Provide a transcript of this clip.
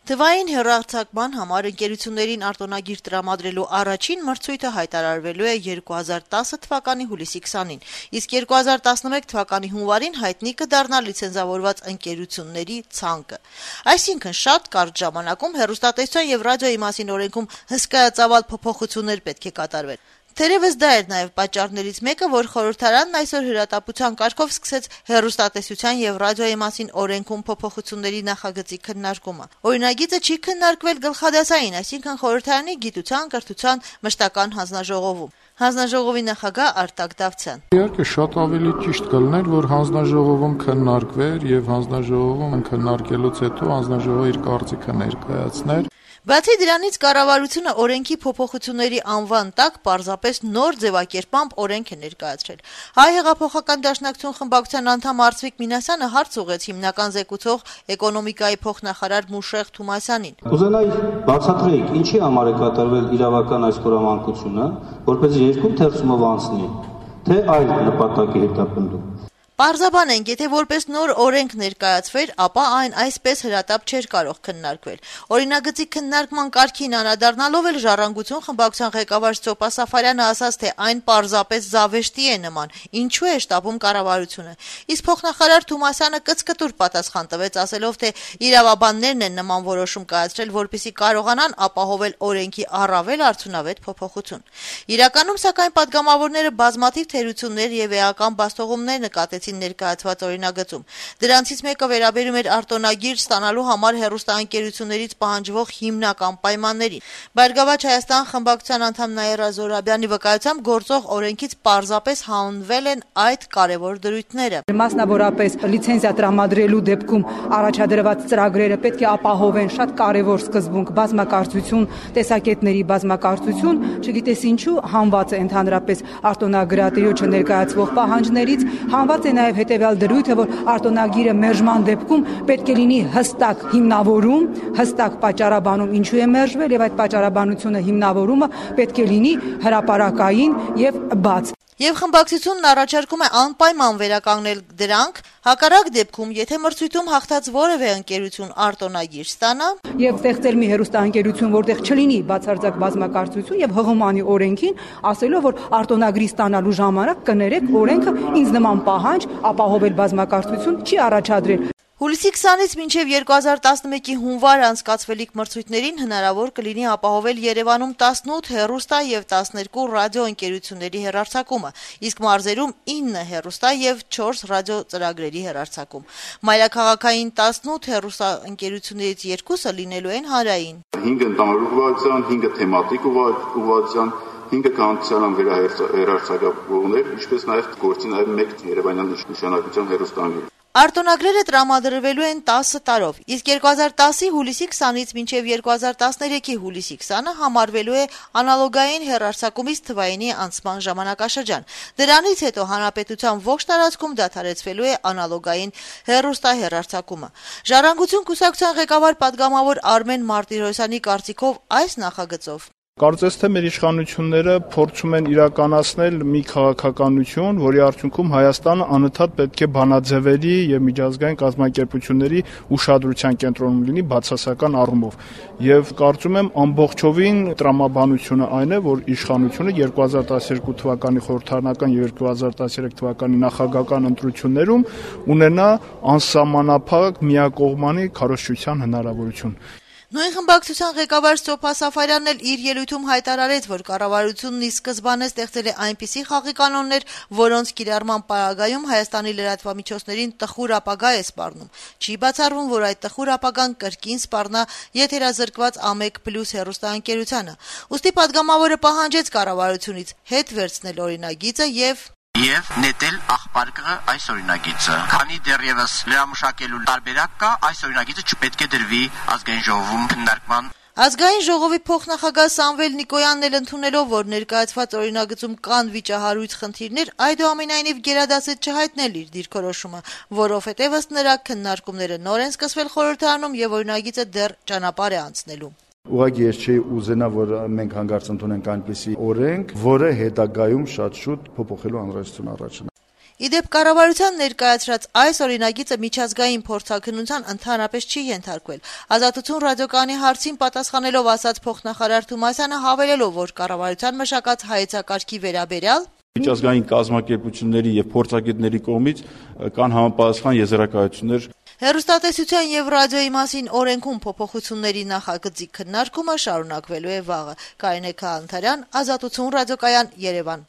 Թվային հեռարձակման համար ընկերություններին արտոնագիր տրամադրելու առաջին մրցույթը հայտարարվելու է 2010 թվականի հուլիսի 20-ին, իսկ 2011 թվականի հունվարին հայտնի կդառնա լիցենզավորված ընկերությունների ցանկը։ Այսինքն շատ կարճ ժամանակում հեռուստատեսության եւ ռադիոյի մասին օրենքում հսկայածավալ փոփոխություններ պետք է կատարվեն։ Թերևս դա էր նաև պատճառներից մեկը, որ խորհրդարանն այսօր հրատապության կարգով սկսեց հեռուստատեսության եւ ռադիոյի մասին օրենքում փոփոխությունների նախագծի քննարկումը։ Օրինագիծը չի քննարկվել գլխադասային, այսինքն խորհրդարանի գիտության, կրթության մշտական հանձնաժողովում։ Հանձնաժողովի նախագահ Արտակ Դավթյան. Իհարկե շատ ավելի ճիշտ կլիներ, որ հանձնաժողովում քննարկվեր եւ հանձնաժողովում քննարկելուց հետո հանձնաժողովը իր կարծիքը ներկայացներ։ Բացի դրանից կառավարությունը օրենքի փոփոխությունների անվան տակ պարզապես նոր ձևակերպամբ օրենք է ներկայացրել։ Հայ հեղափոխական դաշնակցություն խմբակցության անդամ Արծվիկ Մինասյանը հարց ուղղեց հիմնական զեկուցող էկոնոմիկայի փոխնախարար Մուշեղ Թումասյանին։ Կուզենայի բացատրեիք, ինչի համար է կատարվել իրավական այս խորամանկությունը, որպեսզի երկու թերցումով անցնի, թե այլ նպատակի հետապնդում։ Պարզաբանենք, եթե որպես նոր օրենք ներկայացվեր, ապա այն այսպես հրատապ չէր կարող քննարկվել։ Օրինագծի քննարկման կարգին անդրադառնալով էլ Ժառանգություն խմբակցության ղեկավար Սոպա Սաֆարյանը ասաց, թե այն պարզապես զավեշտի է նման, ինչու է շտապում կառավարությունը։ Իսկ փոխնախարար Թումասյանը կծկտուր պատասխան տվեց, ասելով, թե իրավաբաններն են նման որոշում կայացրել, որպեսզի կարողանան ապահովել օրենքի առավել արդյունավետ փոփոխություն։ Իրականում, սակայն, պատգամավորները բազմաթիվ թերություններ եւ էական բաստողումներ նկատեցին ներկայացված օրինագծում։ Դրանցից մեկը վերաբերում էր արտոնագիր ստանալու համար հեռուստաընկերություններից պահանջվող հիմնական պայմաններին։ Բարգավաճ Հայաստան խմբակցության անդամ Նաիրա Զորաբյանի վկայությամբ գործող օրենքից պարզապես հանվել են այդ կարևոր դրույթները։ Մասնավորապես լիցենզիա տրամադրելու դեպքում առաջադրված ծրագրերը պետք է ապահովեն շատ կարևոր սկզբունք՝ բազմակարծություն, տեսակետների բազմակարծություն, չգիտես ինչու հանված է ընդհանրապես արտոնագրատիրոջը ներկայացվող պահանջներից, հանված է նաև հետևյալ դրույթը, որ արտոնագիրը մերժման դեպքում պետք է լինի հստակ հիմնավորում, հստակ պատճառաբանում, ինչու է մերժվել, եւ այդ պատճառաբանությունը հիմնավորումը պետք է լինի հրապարակային եւ բաց։ Եվ խմբակցությունն առաջարկում է անպայման վերականգնել դրանք, հակառակ դեպքում, եթե մրցույթում հաղթած որևէ ընկերություն արտոնագիր ստանա, եւ ստեղծել մի հեռուստաընկերություն, որտեղ չլինի բացարձակ բազմակարծություն եւ հղումանի օրենքին, ասելով, որ արտոնագրի ստանալու ժամանակ կներեք օրենքը ինձ նման պահանջ ապահովել բազմակարծություն չի առաջադրել։ Հուլիսի 20-ից մինչև 2011-ի հունվար անցկացվելիք մրցույթներին հնարավոր կլինի ապահովել Երևանում 18 հեռուստա եւ 12 ռադիո ընկերությունների հեռարձակումը, իսկ մարզերում 9 հեռուստա եւ 4 ռադիո ծրագրերի հեռարձակում։ Մայրաքաղաքային 18 հեռուստա ընկերություններից 2-ը լինելու են հանրային։ 5 ընդհանուր ուղղվածության, 5 թեմատիկ ուղղվածության, 5 կանոնական վերահրցակողներ, ինչպես նաեւ գործի նաեւ 1 երևանյան նշանակության հեռուստաընկերություն։ Արտոնագրերը տրամադրվելու են 10 տարով, իսկ 2010-ի հուլիսի 20-ից մինչև 2013-ի հուլիսի 20-ը համարվելու է անալոգային հեռարձակումից թվայինի անցման ժամանակաշրջան։ Դրանից հետո հանրապետության ողջ տարածքում դադարեցվելու է անալոգային հեռուստահեռարձակումը։ Ժառանգություն կուսակցության ղեկավար պատգամավոր Արմեն Մարտիրոսյանի կարծիքով այս նախագծով Կարծես թե մեր իշխանությունները փորձում են իրականացնել մի քաղաքականություն, որի արդյունքում Հայաստանը անընդհատ պետք է բանաձևերի եւ միջազգային կազմակերպությունների ուշադրության կենտրոնում լինի բացասական առումով։ Եվ կարծում եմ ամբողջովին տրամաբանությունը այն է, որ իշխանությունը 2012 թվականի խորհրդարանական եւ 2013 թվականի նախագահական ընտրություններում ունենա անսահմանափակ միակողմանի քարոզչության հնարավորություն։ Նույն խմբակցության ղեկավար Սոփա Սաֆարյանն էլ իր ելույթում հայտարարեց, որ կառավարությունն ի սկզբանե ստեղծել է այնպիսի խաղի կանոններ, որոնց կիրառման պարագայում Հայաստանի լրատվամիջոցներին տխուր ապագա է սպառնում։ Չի բացառվում, որ այդ տխուր ապագան կրկին սպառնա եթերազրկված A1+ հեռուստաընկերությանը։ Ուստի պատգամավորը պահանջեց կառավարությունից հետ վերցնել օրինագիծը եւ նետել աղբարկը այս օրինագիծը։ Քանի դեռևս լրամշակելու տարբերակ կա, այս օրինագիծը չպետք է դրվի ազգային ժողովում քննարկման։ Ազգային ժողովի փոխնախագահ Սամվել Նիկոյանն էլ ընդունելով, որ ներկայացված օրինագծում կան վիճահարույց խնդիրներ, այդուամենայնիվ գերադասեց չհայտնել իր դիրքորոշումը, որովհետև ըստ նրա քննարկումները նոր են սկսվել խորհրդարանում եւ օրինագիծը դեռ ճանապարհ է անցնելու։ Ուղղակի ես չէի ուզենա, որ մենք հանգարց ընդունենք այնպիսի օրենք, որը հետագայում շատ շուտ փոփոխելու անհրաժեշտություն առաջանա։ Իդեպ կառավարության ներկայացրած այս օրինագիծը միջազգային փորձաքննության ընդհանրապես չի ենթարկվել։ Ազատություն ռադիոկայանի հարցին պատասխանելով ասաց փոխնախարար Թումասյանը, հավելելով, որ կառավարության մշակած հայեցակարգի վերաբերյալ միջազգային կազմակերպությունների եւ փորձագետների կողմից կան համապատասխան եզրակացություններ։ Հեռուստատեսության եւ ռադիոյի մասին օրենքում փոփոխությունների նախագծի քննարկումը շարունակվելու է վաղը։ Կարինե Քահանթարյան, Ազատություն ռադիոկայան, Երևան։